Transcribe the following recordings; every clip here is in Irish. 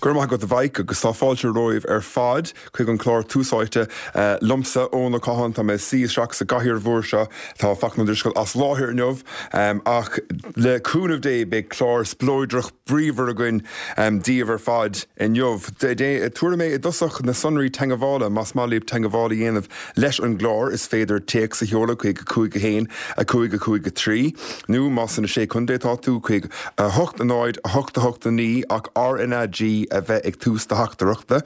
Go raibh maith agat a Mhaidhc agus tá fáilte romhaibh ar fad chuig an chlár Tús Áite liomsa, Eoin Ó Catháin. Tá mé ag suí isteach sa gcathaoir mhór seo. Tá Fachtna Ó Drisceoil as láthair inniu ach le cúnamh Dé beidh clár spleodrach bríomhar againn daoibh ar fad inniu. Tabharfaidh mé i dtosach na sonraí teagmhála más maith libh teagmháil a dhéanamh leis an gclár is féidir téacs a sheoladh chuig 5 1 5 5 3 nó más sna Sé Chontae atá tú chuig 8 0 8 8 9 ach RnaG a bheith ag tús do theachtaireachta.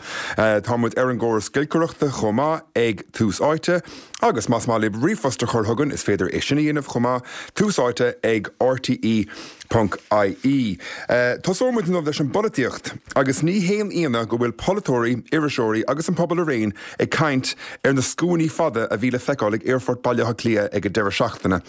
Tá muid ar an gcóras giolcaireachta chomh maith ag Tús Áite agus más maith libh ríomhphost a chur chugainn is féidir é sin a dhéanamh chomh maith, Tús Áite ag rte. Ponc IE. Tosóidh muid inniu leis an bpolaitíocht. Agus ní haon ionadh go bhfuil polaiteoirí, iriseoirí agus an pobal araon ag caint ar na scuainí fada a bhí le feiceáil ag Aerfort Bhaile Átha Cliath ag an deireadh seachtaine.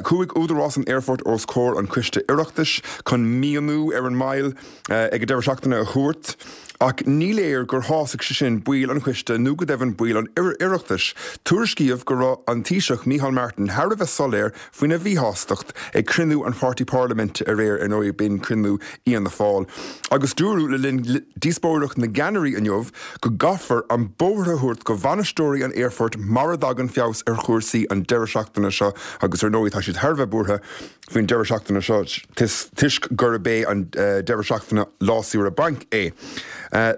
Chuaigh údarás an aerfoirt os comhair an choiste Oireachtais chun míniú ar an moill ag an deireadh seachtaine a thabhairt. Ach ní léir gur shásaigh sé sin baill an choiste nó go deimhin baill an Oireachtais. Tuairiscíodh go raibh an Taoiseach Micheál Martin thar a bheith soiléir faoina mhíshástacht ag cruinniú an pháirtí parlaiminte aréir, ar ndóigh b'in cruinniú Fhianna Fáil. Agus dúradh le linn díospóireacht na gceannairí inniu go gcaithfear an bóthar a thabhairt go bhainisteoirí an aerfoirt mara dtagann feabhas ar chúrsaí an deireadh seachtaine seo agus ar ndóigh tá siad thar a bheith buartha faoin deireadh seachtaine seo toisc gurb é an deireadh seachtaine lá saoire bainc é.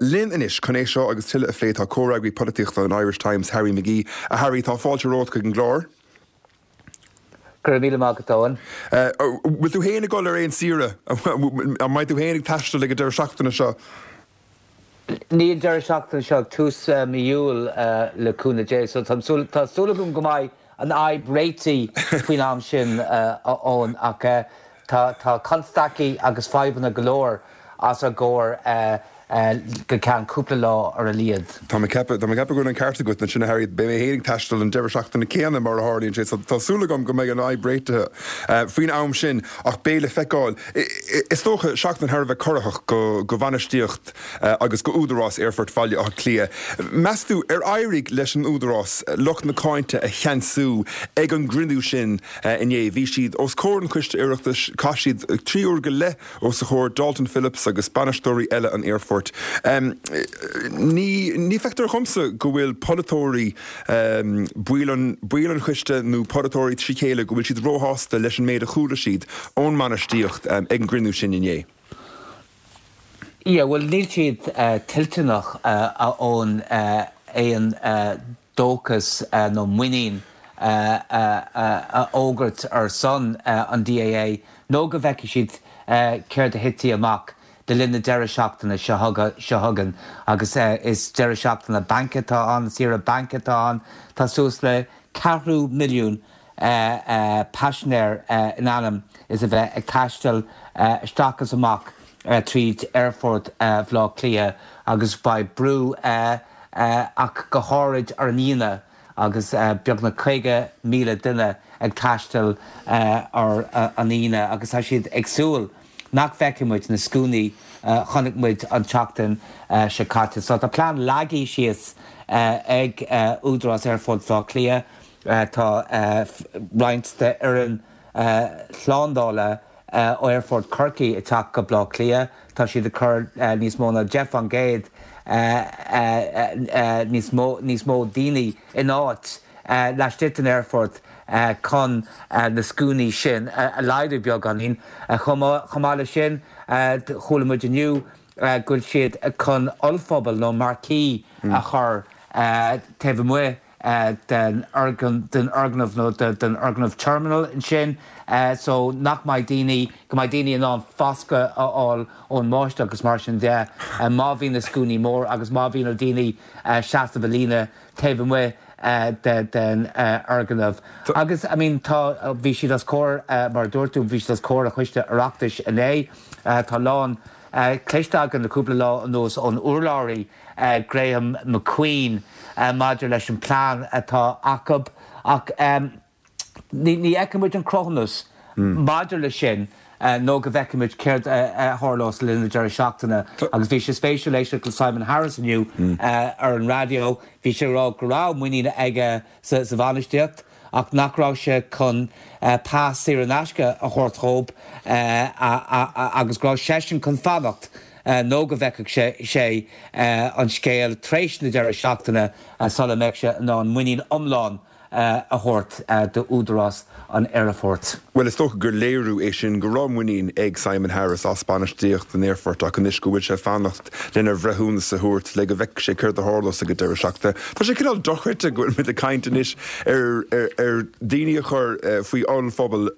Linn anois chun é seo agus tuilleadh a phlé tá comhfhreagraí polaitíochta an Irish Times, Harry McGee. A Harry, tá fáilte romhat chuig an gclár. Go raibh míle maith agat, Eoin. Bhfuil tú féin ag dul ar aon saoire? An mbeidh tú féin ag taisteal ag an deireadh seachtaine seo? Ní an deireadh seachtaine seo, ag tús mí Iúil le cúnamh Dé. So tá tá súil agam go mbeidh an fhadhb réitithe faoin am sin, a Eoin, ach tá tá constaicí agus fadhbanna go leor os ár gcomhair go ceann cúpla lá ar a laghad. Tá mé ag ceapadh, tá mé ag ceapadh go bhfuil an ceart agat ansin a Harry, beidh mé féin ag taisteal an deireadh seachtaine céanna mar a tharlaíonn sé, so tá súil agam go mbeidh an fhadhb réitithe faoin am sin ach beidh le feiceáil. Is dócha, seachtain thar a bheith corraitheach go bhainistíocht agus go údarás Aerfort Bhaile Átha Cliath. Meas tú, ar éirigh leis an údarás lucht na cáinte a cheansú ag an gcruinniú sin inné? Bhí siad os comhair an Choiste Oireachtais, chaith siad 3 uair go leith os a chomhair, Dalton Phillips agus bainisteoirí eile an aerfoirt. Ní feictear dhomsa go bhfuil polaiteoirí, baill an, baill an choiste nó polaiteoirí trí chéile, go bhfuil siad róshásta leis an méid a chuala siad ón mbainistíocht ag an gcruinniú sin inné. Yeah, bhuel níl siad toilteanach a Eoin aon dóchas nó muinín a fhógairt ar son an DAA nó go bhfeicfidh siad céard a thitfidh amach le linn na deireadh seachtaine seo chugainn agus is deireadh seachtaine bainc atá ann, saoire bainc atá ann. Tá suas le ceathrú milliún paisinéir in ainm is a bheith ag taisteal isteach is amach tríd Aerfort Bhaile Átha Cliath agus beidh brú ach go háirid ar an Aoine agus beagnach 50,000 duine ag taisteal ar an Aoine agus tá siad ag súil nach bhfeicfidh muid na scuainí a chonaic muid an tseachtain seo caite. So tá plean leagtha síos ag Údarás Aerfort Bhaile Átha Cliath. Tá roinnt d'fhoireann shlándála ó Aerfort Chorcaí ag teacht go Baile Átha Cliath. Tá siad ag cur níos mó ná 10% níos mó níos mó daoine in áit laistigh den aerfort chun na scuainí sin a laghdú beagáinín. Chomh maith leis sin, chuala muid inniu go bhfuil siad chun ollphuball nó marquee a chur taobh amuigh den fhoirgneamh nó den fhoirgneamh terminal ansin so nach mbeidh daoine, go mbeidh daoine in ann foscadh a fháil ón mbáisteach agus mar sin de má bhíonn na scuainí mór agus má bhíonn ar daoine seasamh i líne taobh amuigh den fhoirgneamh. Agus I mean tá, bhí siad os comhair, mar a dúirt tú, bhí siad os comhair an Choiste Oireachtais inné. Tá a lán cloiste againn le cúpla lá anuas ón urlabhraí Graham McQueen maidir leis an plean atá acu ach ní fheicfidh muid an cruthúnas maidir leis sin nó go bhfeicfidh muid céard a tharlós le linn na deireadh seachtaine. Agus bhí sé spéisiúil éisteacht le Simon Harris inniu ar an raidió. Bhí sé ag rá go raibh muinín aige sa bhainistíocht ach nach raibh sé chun pas saor in aisce a thabhairt dhóibh agus go raibh seisean chun fanacht. nó go bhfeicfeadh sé an scéal tar éis na deireadh seachtaine sula mbeadh sé in ann muinín iomlán a thabhairt d'údarás an aerfoirt. Bhuel, is dócha gur léiriú é sin go raibh muinín ag Simon Harris as bainistíocht an aerfoirt ach anois go bhfuil sé ag fanacht lena bhreithiúnas a thabhairt le go bhfeicfidh sé céard a tharlós ag an deireadh seachtaine. Tá sé cineál dochreidte go bhfuil muid ag caint anois ar ar daoine a chur faoi ollphuball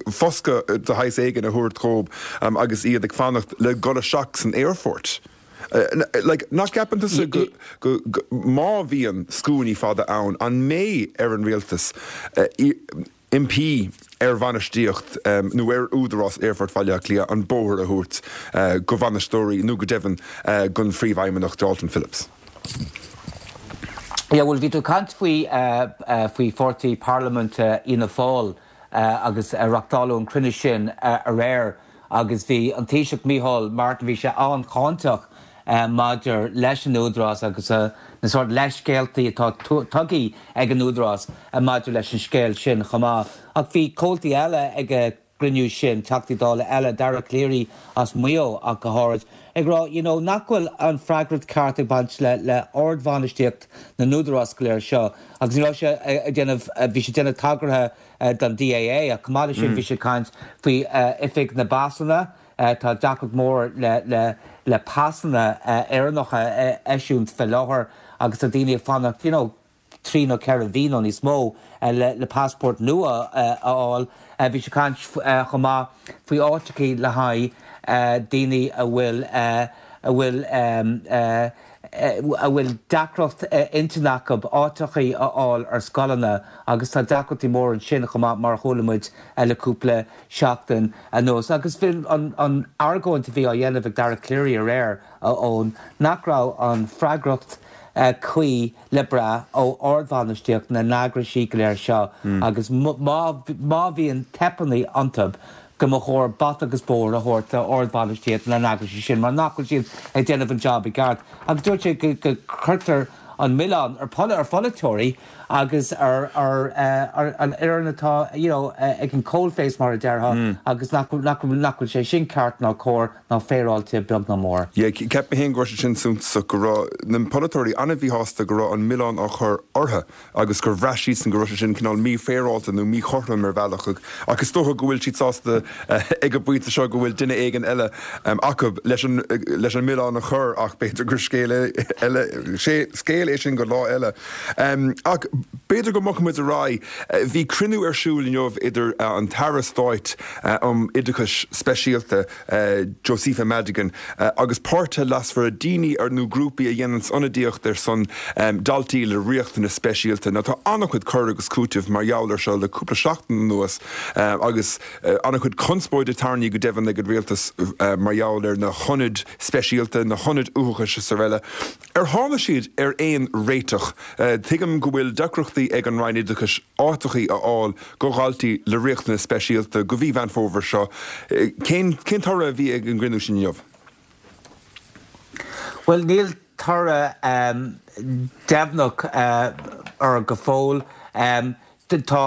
foscadh de shaghas éigin a thabhairt dhóibh agus iad ag fanacht le dhul isteach san aerfort. Like, nach gceapann tusa go, go, go, má bhíonn scuainí fada ann, an mbeidh ar an rialtas impí ar bhainistíocht nó ar údarás Aerfort Bhaile Átha Cliath an bóthar a thabhairt go bhainisteoirí nó go deimhin don phríomhfheidhmeannach Dalton Phillips? Yeah, bhuel, bhí tú ag caint faoi, faoi pháirtí parlaiminte Fhianna Fáil agus reachtáladh an cruinniú sin aréir agus bhí an Taoiseach Micheál Martin, bhí sé an-cháinteach maidir leis an Údarás agus na sórt leithscéaltaí atá tugtha ag an Údarás maidir leis an scéal sin chomh maith. Ach bhí comhaltaí eile ag an gcruinniú sin, Teachtaí Dála eile, Dara Calleary as Maigh Eo ach go háirid, ag rá you know nach bhfuil an freagracht ceart ag baint le le ardbhainistíocht na n-údarás go léir seo agus ní raibh sé ag déanamh, bhí sé ag déanamh tagartha don DAA ach chomh maith leis sin bhí sé ag caint faoi oifig na bpasanna, tá deacracht mór le le le pasanna Éireannacha a eisiúint fé láthair agus tá daoine ag fanacht you know 3 nó 4 mhí nó níos mó le passport nua a fháil. Bhí sé ag caint chomh maith faoi áiteachaí le haghaidh daoine a bhfuil a bhfuil a bhfuil deacracht intinne acu áiteachaí a fháil ar scoileanna agus tá deacrachtaí móra ansin chomh maith mar a chuala muid le cúpla seachtain anuas. Agus bhí an argóint a bhí á dhéanamh ag Dara Calleary aréir, a Eoin, nach raibh an freagracht cuí le brath ó ardbhainistíocht na n-eagraisí go léir seo agus má bhíonn teipeanna iontu go mba chóir bata agus bóthar a thabhairt d'ardbhainistíocht na n-eagraisí sin mar nach bhfuil siad ag déanamh an job i gceart. Agus dúirt sé go gcuirtear an milleán ar pholaiteoirí agus ar an fhoireann atá you know ag an coalface mar a déarfá agus nach bhfuil sé sin ceart ná cóir. ná féaráilte beag ná mór. Yeah, cheap mé féin go raibh sé sin suntasach, go raibh na polaiteoirí an-mhíshásta go raibh an milleán á chur orthu agus gur bhraith siadsan go raibh sé sin cineál mífhéaráilte nó míchothrom ar bhealach ach is dócha go bhfuil siad sásta ag an bpointe seo go bhfuil duine éigin eile acu leis an leis an milleán a chur ach b'fhéidir gur scéal eile scéal é sin go lá eile. Ach b'fhéidir go mbogfaidh muid ar aghaidh. Bhí cruinniú ar siúl inniu idir an tAire Stáit um Oideachais Speisialta, Josepha Madigan, agus páirtithe leasmhara, daoine nó grúpaí a dhéananns ionadaíocht ar son daltaí le riachtanais speisialta. Now tá an-chuid cur agus cúiteamh mar gheall ar seo le cúpla seachtain anuas agus an-chuid conspóide tarraingthe go deimhin ag an rialtas mar gheall ar na hionaid speisialta, na hionaid uathachais is araile. Ar tháinig siad ar aon réiteach? Tuigim go bhfuil deacrachtaí ag an Roinn Oideachais áiteachaí a fháil go dhaltaí le riachtanais speisialta go mhí Mheán Fómhair seo. Cén cén toradh a bhí ag an gcruinniú sin inniu? Bhuel, níl toradh deimhneach air go fóill. Tá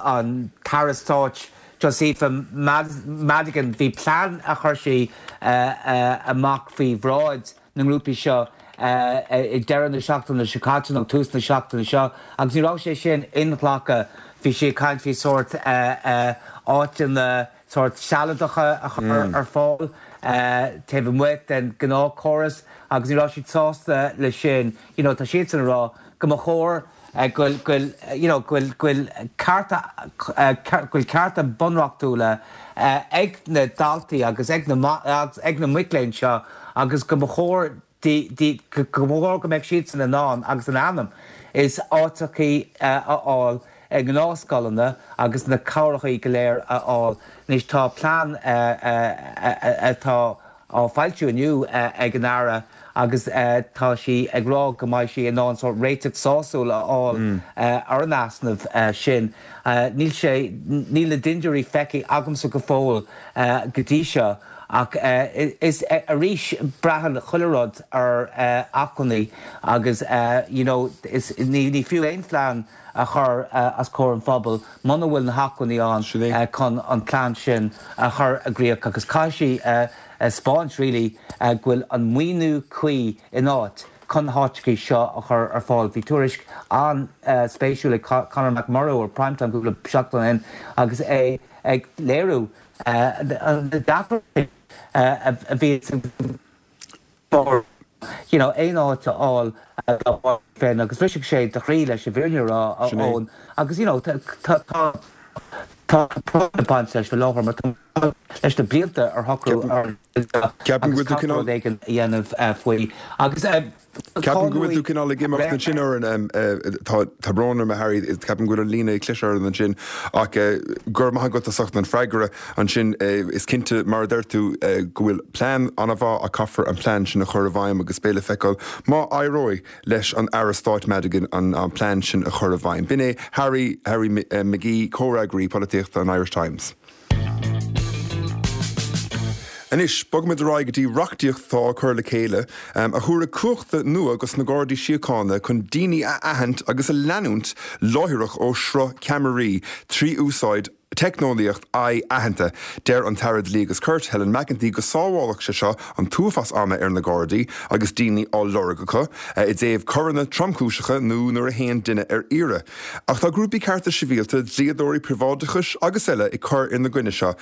an tAire Stáit Josepha Madigan, bhí plean a chuir sí amach faoi bhráid na ngrúpaí seo ag deireadh na seachtaine seo caite nó tús na seachtaine seo agus ní raibh sé sin inghlactha. Bhí sí ag caint faoi sórt áiteanna sórt sealadacha a chur ar fáil taobh amuigh den ghnáthchóras agus ní raibh siad sásta leis sin. You know, tá siadsan ag rá go mba chóir go bhfuil you know go bhfuil go bhfuil cearta go bhfuil cearta bunreachtúla ag na daltaí agus ag na ag na mic léinn seo agus go mba chóir di di go mba chóir go mbeadh siadsan in ann agus in ainm is áiteachaí a fháil i ngnáthscoileanna agus na cabhrachaí go léir a fháil. Anois tá plean atá á foilsiú inniu ag an Aire agus tá sí ag rá go mbeidh sí in ann sórt réiteach sásúil a fháil ar an easnamh sin. Níl sé, níl na dintiúirí feicthe agamsa go fóill go dtí seo. Ach is arís braitheann chuile rud ar acmhainní agus you know is ní fiú aon phlean a chur os comhair an phobail muna bhfuil na hacmhainní ann chun an plean sin a chur i gcríoch agus caithfidh sí a 'spáint really go bhfuil an maoiniú cuí in áit chun na háiteachaí seo a chur ar fáil. Bhí tuairisc an-spéisiúil ag Conor McMurrough ar Prime Time cúpla seachtain ó shin agus é ag léiriú na deacrachtaí a bhíonn ag you know aon áit a fháil dá bpáistí féin agus bhrisfeadh sé do chroí leis an bhfírinne a rá a Eoin agus you know tá tá tá práinn ag baint leis faoi láthair mar tá leis na blianta ar shocrú ar Ceapaim go bhfuil tú cineál. rud éigin a dhéanamh faoi agus Ceapaim go bhfuil tú cineál ag imeacht ansin orainn, tá tá brón orm a Harry, ceapaim go bhfuil an líne ag cliseadh orainn ansin ach go raibh maith agat as ucht an freagra ansin. Is cinnte mar a deir tú go bhfuil plean an-mhaith ach caithfear an plean sin a chur i bhfeidhm agus beidh le feiceáil má éireoidh leis an Aire Stáit Madigan an plean sin a chur i bhfeidhm. B'in é Harry Harry McGee, comhfhreagraí polaitíochta an Irish Times. Anois, bogfaimid ar aghaidh go dtí reachtaíocht atá á cur le chéile a thabharfaidh cumhachta nua dos na Gardaí Síochána chun daoine a aithint agus a leanúint láithreach ó shruth ceamaraí trí úsáid teicneolaíocht aghaidh-aitheanta. Deir an tAire Dlí agus Cirt, Helen McEntee, go sábhálfadh sé seo an t-uafás ama ar na Gardaí agus daoine á lorg acu i dtaobh coireanna tromchúiseacha nó nuair a théann duine ar iarraidh. Ach tá grúpaí cearta sibhialta, dlíodóirí príobháideachais agus eile ag cur ina gcoinne seo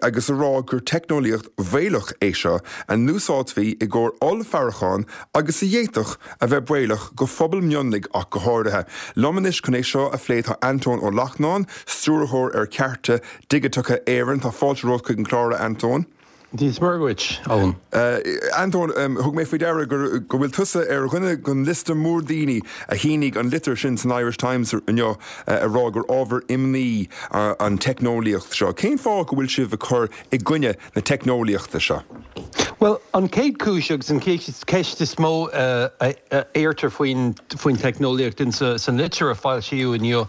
agus a rá gur teicneolaíocht bhaolach é seo a n-úsáidfí i gcomhair ollfhaireacháin agus a d'fhéadfadh a bheith baolach go phobail mionlaigh ach go háirithe. Liom anois chun é seo a phlé tá Antóin Ó Lachtnáin, Stiúrthóir ar Chearta Digiteacha Éireann. Tá fáilte romhat chuig an chlár, a Antóin. Dia is Muire dhuit, Eoin. Antóin, thug mé faoi deara go bhfuil tusa ar dhuine den liosta mór daoine a shínigh an litir sin san Irish Times inniu ag rá gur ábhar imní an teicneolaíocht seo. Cén fáth go bhfuil sibh ag cur i gcoinne na teicneolaíochta seo? Bhuel, an chéad chúis agus an cheist is mó a iarrtar faoin teicneolaíocht san litir a foilsíodh inniu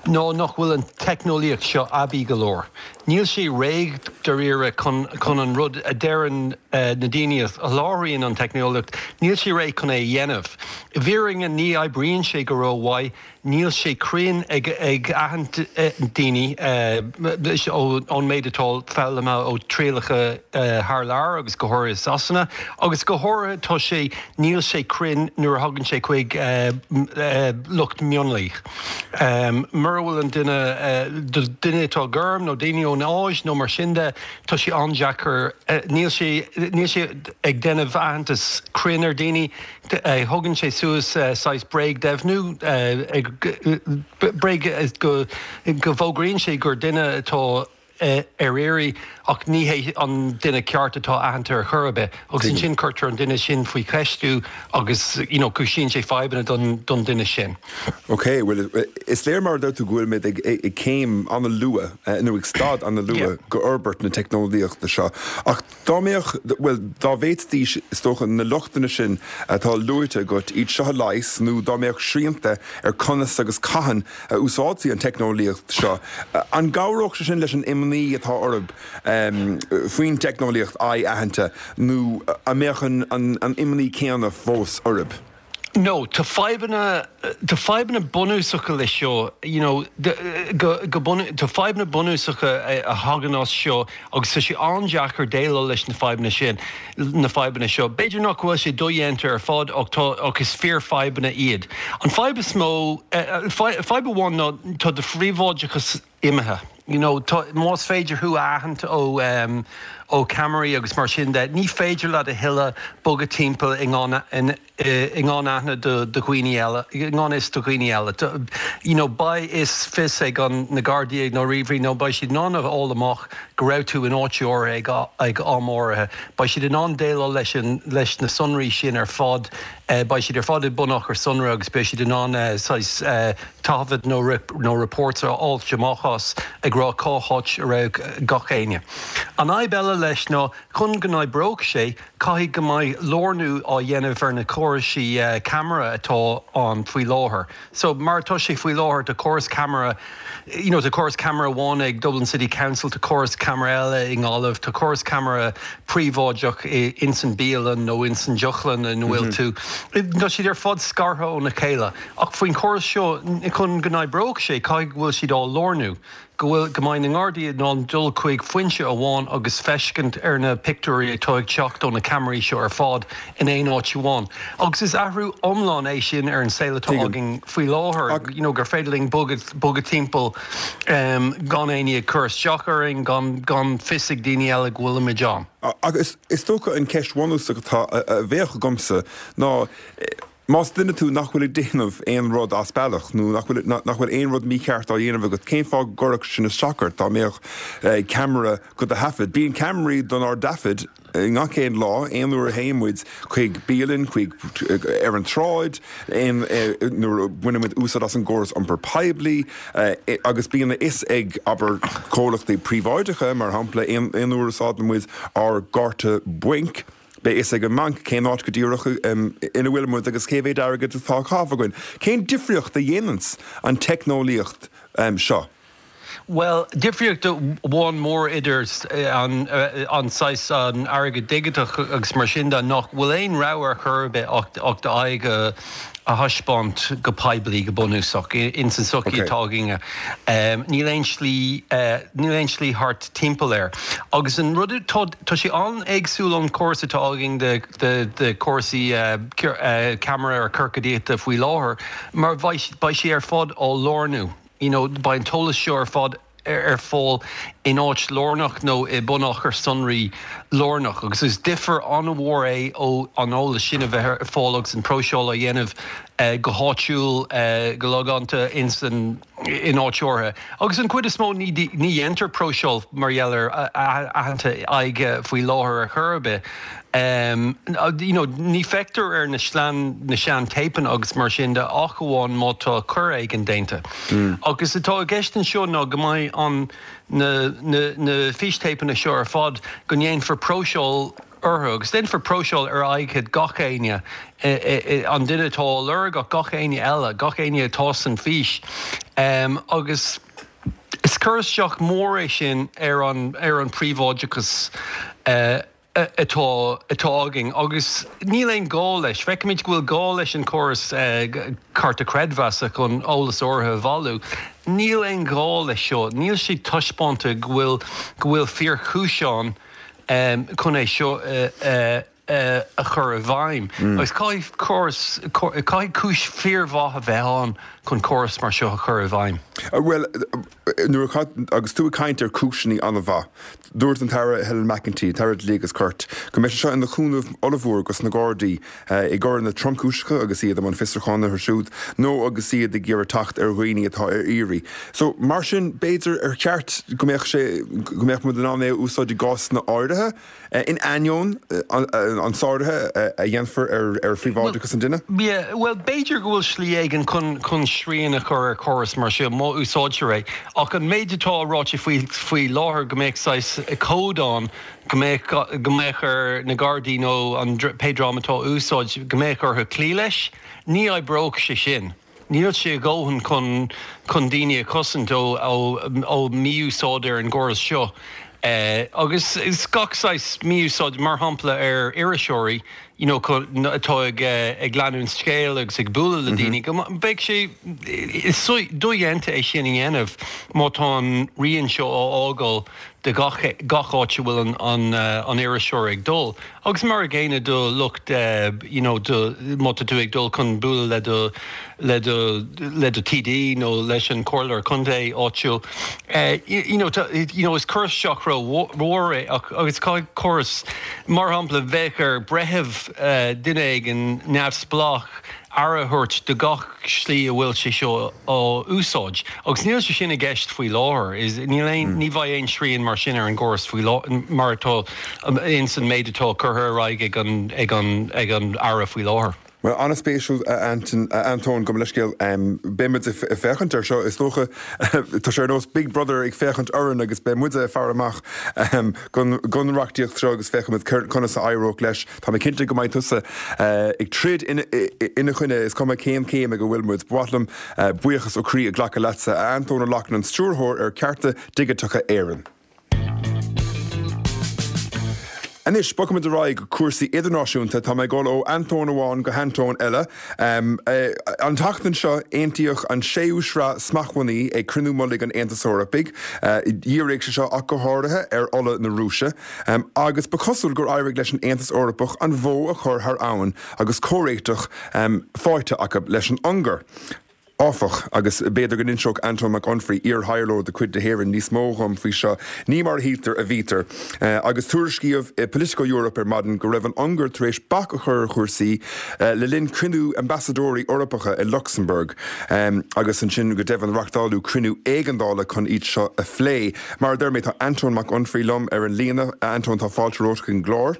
ná nach bhfuil an teicneolaíocht seo aibí go leor. Níl sé réidh dáiríre chun chun an rud a deireann na daoine a sholáthraíonn an teicneolaíocht, níl sé réidh chun é a dhéanamh. I bhfírinne ní oibríonn sé go rómhaith, níl sé cruinn ag ag aithint daoine ón méid atá foghlamtha ó trialacha thar lear agus go háirithe i Sasana agus go háirithe tá sé níl sé cruinn nuair a thagann sé chuig lucht mionlaigh. Mura bhfuil an duine, duine atá gorm nó daoine ón Áis nó mar sin de, tá sé an-deacair, níl sé, níl sé ag déanamh aitheantas cruinn ar daoine, thugann sé suas saghas bréagdheimhniú, bréag, go bhfógraíonn sé gur duine atá. ar iarraidh ach ní hé an duine ceart atá aitheanta ar chor ar bith agus ansin cuirtear an duine sin faoi cheistiú agus you know cúisíonn sé fadhbanna don don duine sin. Ok, bhuel is léir mar a deir tú go bhfuil muid ag ag céim an-luath nó ag staid an-luath go fhorbairt na teicneolaíochta seo ach dá mbeadh, bhuel dá bhféadfaidís is dócha na lochtanna sin atá luaite agat iad seo a leigheas nó dá mbeadh srianta ar conas agus cathain a úsáidfí an teicneolaíocht seo. An gcabhródh sé sin leis an imní atá oraibh faoin teicneolaíocht aghaidh-aitheanta nó an mbeadh an imní céanna fós oraibh? No, tá fadhbanna, tá fadhbanna bunúsacha leis seo, you know, go, go bun, tá fadhbanna bunúsacha a thagann as seo agus tá sé an-deacair déileáil leis na fadhbanna sin, na fadhbanna seo. B'fhéidir nach bhfuil sé dodhéanta ar fad ach tá, ach is fíorfhadhbanna iad. An fadhb is mó, fadhb amháin ná tá do phríobháideachas imithe. You know, tá, más féidir thú a aithint ó, ó cheamaraí agus mar sin de, ní féidir leat a thuilleadh bogadh timpeall i ngan, i ngan aithne do dhaoine eile, i ngan fhios do dhaoine eile. You know, beidh fhios fios ag an, na Gardaí nó ríomhairí nó beidh siad in ann a fháil amach go raibh tú in áit áirithe ag, ag am áirithe. Beidh siad in ann déileáil leis an, leis na sonraí sin ar fad. Beidh siad ar fad i bunachar sonraí agus beidh siad in ann saghas taifead nó, nó reports a fháilt amach. chás ag rá cá háit a raibh gach éinne. An fhadhb eile leis ná chun go n-oibreodh sé, caithfidh go mbeidh lárnú á dhéanamh ar na córaisí ceamara atá ann faoi láthair. So, mar atá sé faoi láthair, tá córas ceamara, you know, tá córas ceamara amháin ag Dublin City Council, tá córas ceamara eile i nGaillimh, tá córas ceamara príobháideach ins an bialann nó ins an deochlann ina bhfuil tú. Tá siad ar fad scartha óna chéile. Ach faoin chóras seo, chun go n-oibreodh sé, caithfidh go bhfuil siad á lárnú. go bhfuil, go mbeidh na nGardaí in ann dul chuig foinse amháin agus feiscint ar na pictiúirí atá ag teacht ó na ceamaraí seo ar fad in aon áit amháin. Agus is athrú iomlán é sin ar an saol atá againn faoi láthair, you know, gur féidir linn bogadh, bogadh timpeall gan éinne ag cur isteach orainn, gan, gan fios ag daoine eile go bhfuilimid ann. Agus is dócha an cheist bhunúsach atá, a bheadh agamsa ná, Más duine tú nach bhfuil ag déanamh aon rud as bealach nó nach bhfuil nach bhfuil aon rud mícheart á dhéanamh agat, cén fáth go gcuirfeadh sin isteach ort dá mbeadh ceamara do do thaifead? Bíonn ceamaraí donár dtaifead gach aon lá, aon uair a théann muid chuig bialann, chuig ar an tsráid, aon nuair a bhaineann muid úsáid as an gcóras iompair poiblí agus bíonn a fhios ag, abair, comhlachtaí príobháideacha, mar shampla, aon aon uair a úsáideann muid ár gcárta bainc. Beidh fhios ag an mbanc cén áit go díreach ina bhfuil muid agus cé mhéad airgid atá á chaitheamh againn. Cén difríocht a dhéananns an teicneolaíocht seo? Bhuel, difríocht amháin mór idir an saghas an airgead digiteach agus mar sin de nach bhfuil aon rogha ar chor ar bith ach d'aghaidh a a thaispeáint go poiblí go bunúsach ins an tsochaí atá againne. Níl aon slí, níl aon slí thart timpeall air. Agus an rud atá, tá sé an-éagsúil ón chóras atá againn de, de, de chúrsaí ceamara ciorcadaíochta faoi láthair mar beidh, beidh sé ar fad á lárnú. You know, beidh an t-eolas seo ar fad ar fáil in áit lárnach nó i mbunachar sonraí lárnach agus is difear an-mhór é ó an eolas sin a bheith ar fáil agus an próiseáil á dhéanamh go háitiúil, go logánta in áit áirithe. Agus an chuid is mó ní dhéantar próiseáil mar gheall ar aitheanta aghaidhe faoi láthair ar chor ar bith. You know, ní feictear ar na slean, na sean téipeanna agus mar sin de ach amháin má tá coir éigin déanta. Agus atá i gceist anseo ná go mbeidh an, na, na, na fístéipeanna seo ar fad, go ndéanfar próiseáil orthu agus déanfar próiseáil ar aghaidh gach éinne, an duine atá á lorg ach gach éinne eile, gach éinne atá san fhís. Agus is cur isteach mór é sin ar an, ar an príobháideachas. atá atá againn agus níl aon gá leis. Feicimid go bhfuil gá leis an córas cárta creidmheasa chun eolas áirithe a bhailiú. Níl aon ghá leis seo. Níl sé taispeánta go bhfuil go bhfuil fíorchúis ann chun é seo a chur i bhfeidhm. Agus caithfidh córas caithfidh cúis fíormhaith a bheith ann chun córas mar seo a chur i bhfeidhm. Bhuel, nuair a, agus tú ag caint ar cúiseanna an-mhaith, dúirt an tAire Helen McEntee, tAire Dlí agus Cirt, go mbeidh sé seo ina chúnamh ollmhór dos na Gardaí i gcoireanna tromchúiseacha agus iad i mbun fiosrúcháin orthu siúd nó agus iad ag iarraidh teacht ar dhaoine atá ar iarraidh. So, mar sin, b'fhéidir ar cheart go mbeadh sé, go mbeadh muid in ann é a úsáid i gcásanna áirithe? In ainneoin an sáraithe a dhéanfar ar phríobháideachas an duine? Bhuel, b'fhéidir go bhfuil slí éigin chun srian a chur ar chóras mar seo, má úsáidtear é. Ach an méid atá ráite faoi láthair, go mbeadh saghas cód ann, go mbeadh go mbeadh ar na Gardaí nó an pé dream atá á úsáid, go mbeadh orthu cloí leis, ní oibreodh sé sin. Níl sé a dhóthain chun chun daoine a chosaint ó ó mhí-úsáid ar an gcóras seo. Agus is gach saghas mí-úsáid, mar shampla ar iriseoirí you know atá ag ag leanúint scéil agus ag bualadh le daoine, go mbeidh sé is dodhéanta é sin a dhéanamh má tá an rian seo á fhágáil de gach gach áit a bhfuil an an iriseoir ag dul. Agus mar a gcéanna do lucht you know do má tá tú ag dul chun bualadh le do le do le do TD nó leis an comhairleoir contae áitiúil you know tá you know is cur isteach ró-mhór é ach agus caithfidh córas mar shampla bheadh ar breitheamh duine éigin neamhspleách aire a thabhairt do gach slí a bhfuil sé seo á úsáid. Agus níl sé sin i gceist faoi láthair. Is níl aon, ní bheidh aon srian mar sin ar an gcóras faoi láthair, mar atá ins an méid atá curtha ar aghaidh ag an, ag an, ag an Aire faoi láthair. Bhuel, an-spéisiúil, a Antóin, gabh mo leithscéal. Beidh muid ag féachaint air seo, is dócha. Tá sé ar nós Big Brother ag féachaint orainn agus beidh muide ag faire amach don reachtaíocht seo agus féachfaimid conas a éireoidh leis. Tá mé cinnte go mbeidh tusa ag troid ina choinne, is cuma cén céim ag a bhfuil muid. Ba mhaith liom buíochas ó chroí a ghlacadh leatsa, a Antóin Ó Lochlainn, an Stiúrthóir ar Cearta Digiteacha Éireann. Anois, bogfaimid ar aghaidh go cúrsaí idirnáisiúnta. Tá mé ag dul ó Antóin amháin go hAntóin eile. An tseachtain seo, aontaíodh an séú sraith smachtbhannaí ag cruinniú mullaigh an Aontais Eorpaigh. Dhírigh sé seo ach go háirithe ar ola na Rúise. Agus ba chosúil gur éirigh leis an Aontas Eorpach an bhó a chur thar abhainn agus comhréiteach faighte acu leis an Ungáir. Áfach, agus b'fhéidir go n-inseodh Antóin Mac Unfraidh, iar-thaidhleoir de chuid na hÉireann, níos mó dhom faoi seo, ní mar a shíltear a bhítear. Agus tuairiscíodh i Politico Europe ar maidin go raibh an Ungáir tar éis bac a chur ar chúrsaí le linn cruinniú ambasadóirí Eorpacha i Lucsamburg agus ansin go deimhin reachtáladh cruinniú éigeandála chun iad seo a phlé. Mar a deir mé, tá Antóin Mac Unfraidh liom ar an líne. A Antóin, tá fáilte romhat chuig an gclár.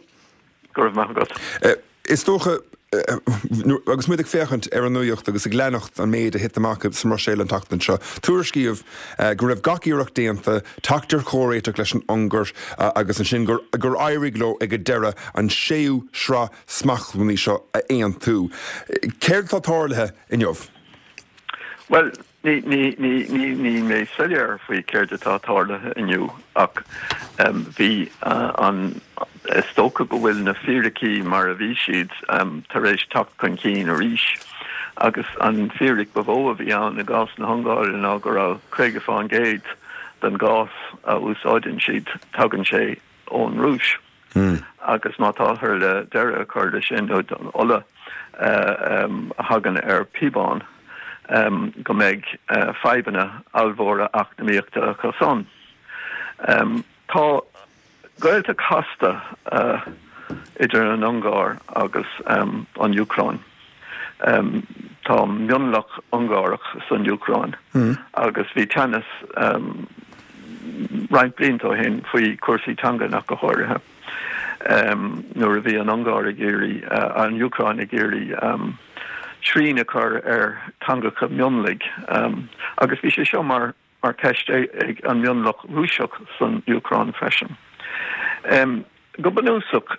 Go raibh maith agat. Is dócha, agus muid ag féachaint ar an nuacht agus ag leanacht an méid a thit amach sa mBruiséil an tseachtain seo, tuairiscíodh go raibh gach iarracht déanta teacht ar chomhréiteach leis an Ungáir agus ansin gur éirigh leo ag an deireadh an séú sraith smachtbhannaí seo a aontú. Céard atá tarlaithe inniu? Bhuel, Níl mé soiléir faoi céard atá tarlaithe inniu ach bhí an, is dócha go bhfuil na fíricí mar a bhí siad tar éis teacht chun cinn arís agus an fíric ba mhó a bhí ann i gcás na hUngáire ná go raibh 50% den gás a úsáideann siad, tagann sé ón Rúis. Agus má táthar le deireadh a chur leis sin, nó don ola a thagann ar píobán, go mbeidh fadhbanna ollmhóra eacnamaíochta acu san. Tá gaolta casta idir an Ungáir agus an Úcráin. Tá mionlach Ungárach san Úcráin agus bhí teannas roinnt blianta ó shin faoi chúrsaí teangan ach go háirithe nuair a bhí an Ungáir ag iarraidh, an Úcráin ag iarraidh srian a chur ar theangacha mionlaigh agus bhí sé seo mar mar cheist ag an mionlach Rúiseach san Úcráin freisin. Go bunúsach,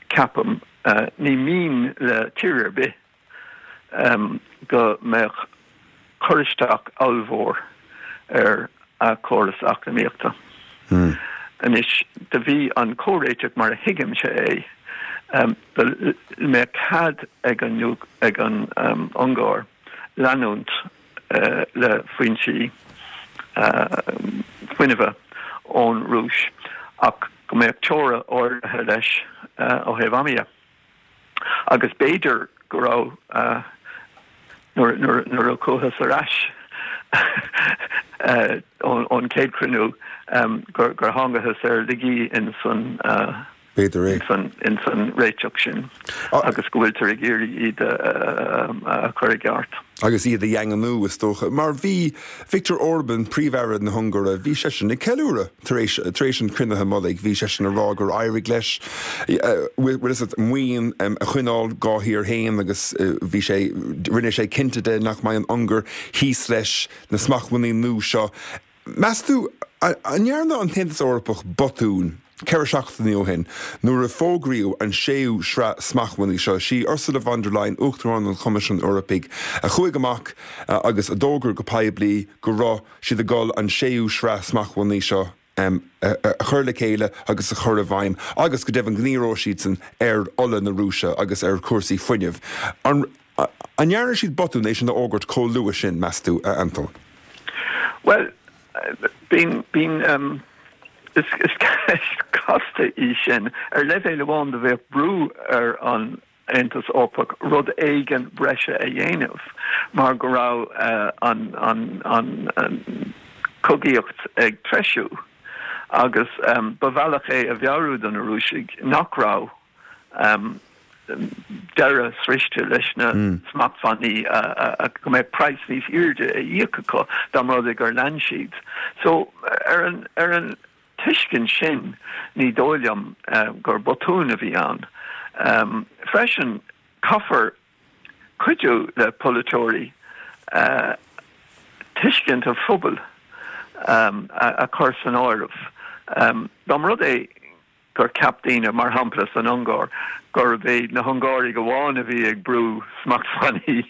ceapaim, ní mian le tír ar bith go mbeadh cur isteach ollmhór ar a córas eacnamaíochta. Anois, do bhí an comhréiteach mar a thuigimse é, go mbeadh cead ag an Ungáir leanúint le foinsí fuinnimhe ón Rúis ach go mbeadh teora áirithe leis ó thaobh ama dhe. Agus b'fhéidir go raibh, nuair a chuathas ar ais ón chéad chruinniú, gur thángthas ar laigí in san. B'fhéidir é. ins an réiteach sin agus go bhfuiltear ag iarraidh iad a chur i gceart. Agus iad a dhaingniú, is dócha. Mar bhí Viktor Orban, Príomh-Aire na hUngáire, bhí seisean ag ceiliúradh tar éis, tar éis an chruinnithe mullaigh. Bhí seisean ag rá gur éirigh leis, bhfuil fhios agat, maoin a choinneáil dhá thír féin agus bhí sé, rinne sé cinnte de nach mbeidh an Ungáir thíos leis na smachtbhannaí nua seo. Meas tú, an ndearna an tAontas Eorpach botún 4 seachtainí ó shin nuair a fógraíodh an séú sraith smachtbhannaí seo? Sí Ursula von der Leyen, Uachtarán an Choimisiúin Eorpaigh, a chuaigh amach agus a d'fhógair go poiblí go raibh siad ag dul an séú sraith smachtbhannaí seo a chur le chéile agus a chur i bhfeidhm agus go deimhin go ndíreoidh siadsan ar ola na Rúise agus ar chúrsaí fuinnimh. An An ndearna siad botún é sin a fhógairt chomh luath sin, meas tú, a Antóin? Bhuel, bíonn, bíonn, is, is ceist casta í sin. Ar leibhéal amháin do bheadh brú ar an Aontas Eorpach rud éigin breise a dhéanamh mar go raibh an, an, an chogaíocht ag treisiú agus ba bhealach é a mheabhrú do na Rúisigh nach raibh deireadh sroichte leis na smachtbhannaí go mbeadh praghas níos airde a íoc acu dá mba rud é gur lean siad. So ar an ar an tuiscint sin ní dóigh liom gur botún a bhí ann. Freisin caithfear. cuidiú le polaiteoirí tuiscint an phobail a chur san áireamh. Dá mba rud é gur cheap daoine, mar shampla san Ungáir, gurb iad na hUngáraigh amháin a bhí ag brú smachtbhannaí,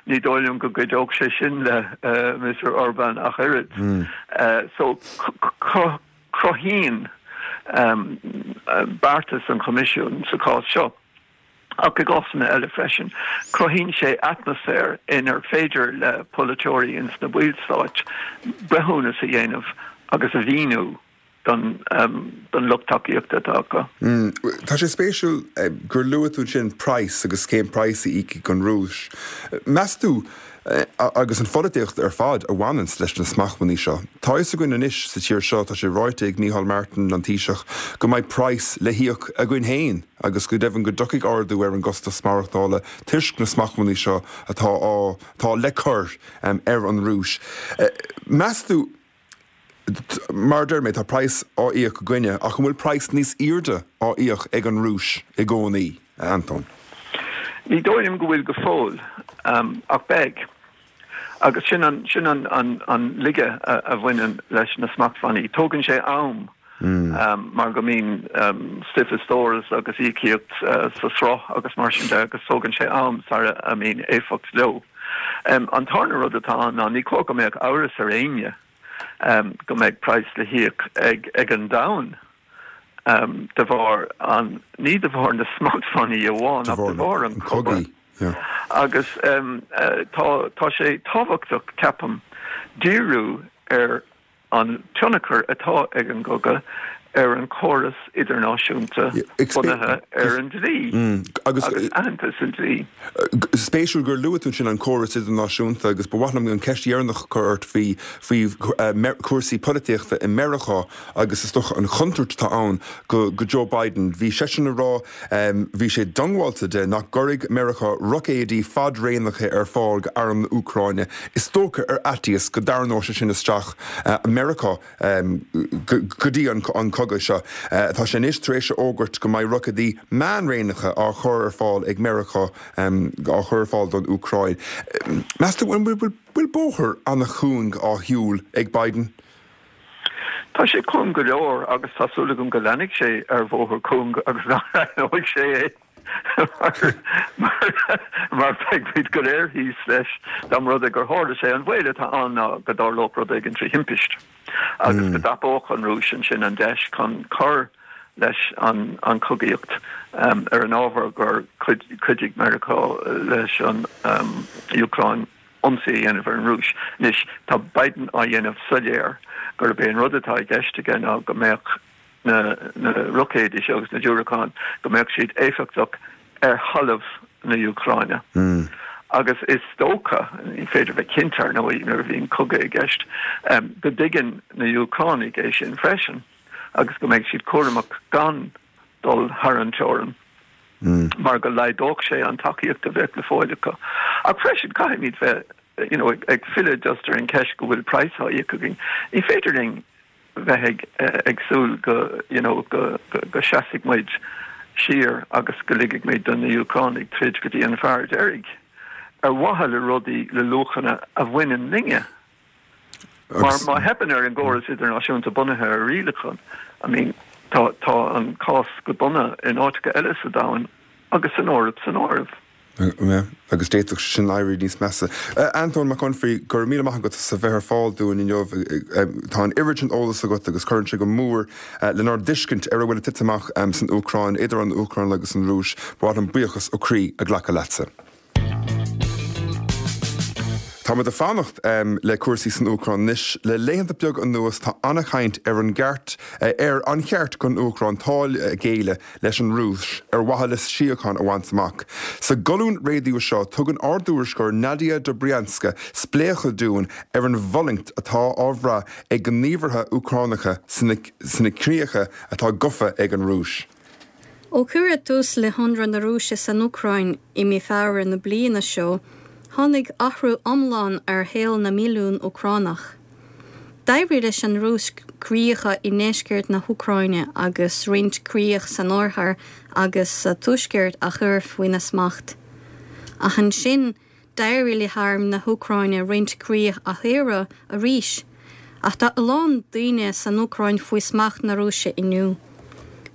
ní dóigh liom go gcuideodh sé sin le Mister Orbán ach oiread. So cruthaíonn beartas an Choimisiúin sa chás seo, ach i gcásanna eile freisin, cruthaíonn sé atmaisféar inar féidir le polaiteoirí ins na ballstáit breithiúnas a dhéanamh agus a mhíniú don don lucht tacaíochta atá acu. Tá sé spéisiúil gur luaigh tú ansin praghas agus cén praghas a íocfaidh an Rúis. Meas tú, agus an pholaitíocht ar fad a bhaineanns leis na smachtbhannaí seo, tá a fhios againn anois sa tír seo, tá sé ráite ag Micheál Martin, an Taoiseach, go mbeidh praghas le híoc againn féin agus go deimhin go dtiocfaidh ardú ar an gcostas maireachtála toisc na smachtbhannaí seo atá á, atá le cur ar an Rúis. Meas tú, mar a deir mé, tá praghas á íoc againne, ach an bhfuil praghas níos airde á íoc ag an Rúis i gcónaí, a Antóin? Ní dóigh liom go bhfuil go fóill, ach beidh. Agus sin an, sin an, an, an laige a bhaineann leis na smachtbhannaí. Tógann sé am mar go mbíonn stuif i stóras agus íocaíocht sa sruth agus mar sin de agus tógann sé am sara a mbíonn éifeacht leo. An tarna rud atá ann ná ní cóir go mbeadh amhras ar éinne go mbeidh praghas le híoc ag an domhan de bharr an, ní de bharr na smachtbhannaí amháin ach de bharr an chogaidh. Agus tá sé tábhachtach, ceapaim, díriú ar an tionchar atá ag an gcogadh ar an chóras idirnáisiúnta bunaithe ar an dlí agus aitheantas an dlí. Spéisiúil gur luaigh tú ansin an córas idirnáisiúnta agus ba mhaith liom an ceist dheireanach a chur ort faoi faoi chúrsaí polaitíochta i Meiriceá agus is dócha an chontúirt atá ann go go Joe Biden. Bhí seisean ag rá, bhí sé diongbháilte de nach gcuirfidh Meiriceá roicéidí fadraonacha ar fáil go arm na Úcráine. Is dócha ar fhaitíos go dtarraingeodh sé sin isteach Meiriceá go dtí an cogadh seo. Tá sé anois tar éis a fhógairt go mbeidh roicéidí meánraonacha á chur ar fáil ag Meiriceá á chur ar fáil don Úcráin. Meas tú an bhfuil bóthar an-chúng á shiúl ag Biden? Tá sé cúng go leor agus tá súil agam go leanfaidh sé ar bhóthar cúng agus nach leathnóidh sé é mar beidh muid go léir thíos leis dá mba rud é gur tharla sé. An baol atá ann ná go dtarlódh rud éigin trí thimpist agus go dtapódh an Rúis ansin an deis chun cur leis an chogaíocht ar an ábhar gur chuidigh Meiriceá leis an Úcráin. ionsaí a dhéanamh ar an Rúis. Anois, tá Biden á dhéanamh soiléir gurb é an rud atá i gceist aige ná go mbeadh na na roicéidí seo agus na diúracáin, go mbeadh siad éifeachtach ar thalamh na hÚcráine. Agus is dócha, ní féidir bheith cinnte ar ndóigh nuair a bhíonn cogadh i gceist, go dtuigeann na hÚcránaigh é sin freisin agus go mbeidh siad cúramach gan dul thar an teorainn mar go laghdódh sé an tacaíocht a bheadh le fáil acu. Ach freisin caithfimid bheith you know ag filleadh just ar an cheist go bhfuil praghas á íoc againn. Ní féidir linn bheith ag ag súil go you know go go seasfaidh muid siar agus go ligfidh muid do na Úcránaigh troid go dtí an fear deiridh ar mhaithe le rudaí le luachanna a bhaineann linne. Mar má theipeann ar an gcóras idirnáisiúnta bunaithe ar rialacháin, I mean, tá, tá an cás go dona in áiteacha eile sa domhan agus san Eoraip san áireamh. Yeah, agus d'fhéadfadh sé sin éirí níos measa. Antóin Mac Unfraidh, go raibh míle maith agat as a bheith ar fáil dúinn inniu. Tá an oiread sin eolas agat agus cuireann sé go mór lenár dtuiscint ar a bhfuil ag titim amach san Úcráin, idir an Úcráin agus an Rúis. Ba mhaith liom buíochas ó chroí a ghlacadh leatsa. Tá muid ag fanacht le cúrsaí san Úcráin anois. Le laethanta beaga anuas tá an-chaint ar an gceart, ar an cheart don Úcráin toil a ghéilleadh leis an Rúis ar mhaithe le síocháin a bhaint amach. Sa gcolún raidió seo tugann ár dtuairisceoir Nadia Dobrianska spléachadh dúinn ar an bhfulaingt atá á bhrath ag gníomhaithe Úcránacha sna críocha atá gafa ag an Rúis. Ó cuireadh tús le hionradh na Rúise san Úcráin i mí Feabhra na bliana seo, tháinig athrú iomlán ar shaol na milliún Úcránach. D'éirigh leis an Rúis críocha i ndeisceart na hÚcráine agus roinnt críoch san oirthear agus sa tuaisceart a chur faoina smacht. Ach ansin, d'éirigh le harm na hÚcráine roinnt críoch a shaoradh arís. Ach tá a lán daoine san Úcráin faoi smacht na Rúise inniu.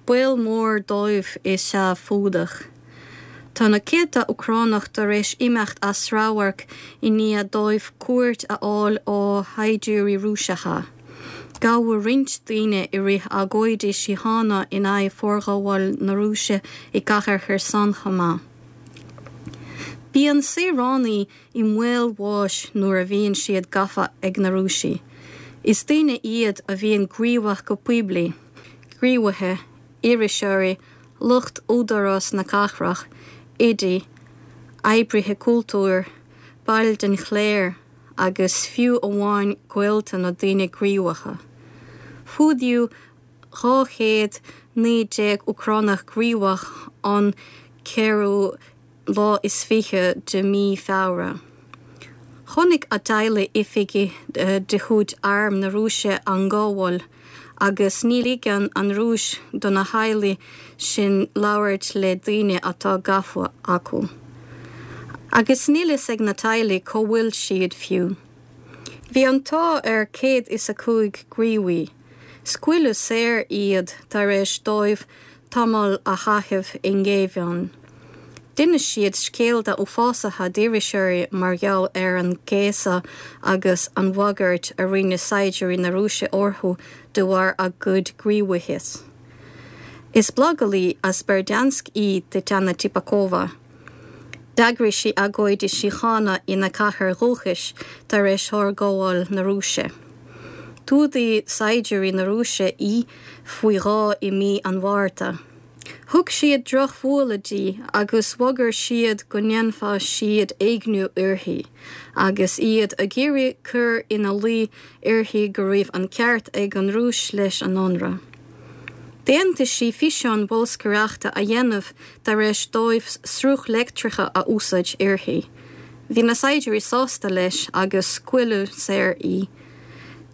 Baol mór dóibh is ea fuadach. Tá na céadta Úcránach tar éis imeacht as radharc i ndiaidh dóibh cuairt a fháil ó shaighdiúirí Rúiseacha. Gabhadh roinnt daoine i rith agóidí síochána in aghaidh forghabháil na Rúise i gcathair Kherson chomh maith. Bíonn saoránaigh i mbaol bháis nuair a bhíonn siad gafa ag na Rúisigh. Is daoine iad a bhíonn gníomhach go poiblí, gníomhaithe, iriseoirí, lucht údarás na cathrach, oidí, oibrithe cultúir, baill den chléir agus fiú amháin gaolta na daoine gníomhacha. Fuadaíodh 219 Úcránach gníomhach an ceathrú lá is 20 de mhí Feabhra. Chonaic a dteaghlaigh oifigigh de chuid Arm na Rúise á ngabháil agus ní ligeann an Rúis do na teaghlaigh sin labhairt le daoine atá gafa acu. Agus níl fhios ag na teaghlaigh cá bhfuil siad fiú. Bhí an t-ádh ar 105 gníomhaí. Scaoileadh saor iad tar éis dóibh tamall a chaitheamh i ngéibheann. D'inis siad scéalta uafásacha d'iriseoirí mar gheall ar an gcéasadh agus an bhagairt a rinne saighdiúirí na Rúise orthu de bharr a gcuid gníomhaíochta. Is blagálaí as Berdyansk í Tetiana Tipakova. D'eagraigh sí agóidí síochána ina cathair dhúchais tar éis fhorghabháil na Rúise. D'fhuadaigh saighdiúirí na Rúise í faoi dhó i mí an Mhárta. Thug siad drochbhualadh di agus bhagair siad go ndéanfadh siad éigniú uirthi, agus iad ag iarraidh cur ina luí uirthi go raibh an ceart ag an Rúis leis an ionradh. D'aontaigh sí físeán bolscaireachta a dhéanamh tar éis dóibh sruth leictreach a úsáid uirthi. Bhí na saighdiúirí sásta leis agus scaoileadh saor í.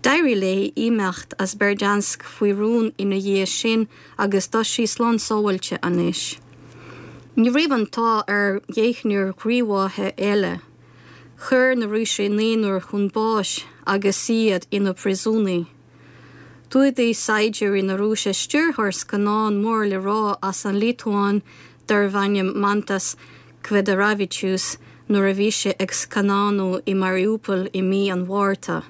D'éirigh léi imeacht as Berdyansk faoi rún ina dhiaidh sin agus tá sí slán sábháilte anois. Ní raibh an t-ádh ar dheichniúr gníomhaithe eile. Chuir na Rúisigh naonúr chun báis agus iad ina bpríosúnaigh. D'fhuadaigh saighdiúirí na Rúise stiúrthóir scannán mór le rá as an Liotuáin darbh ainm Mantas Kvedaravičius nuair a bhí sé ag scannánú i Mariupol i mí an Mhárta.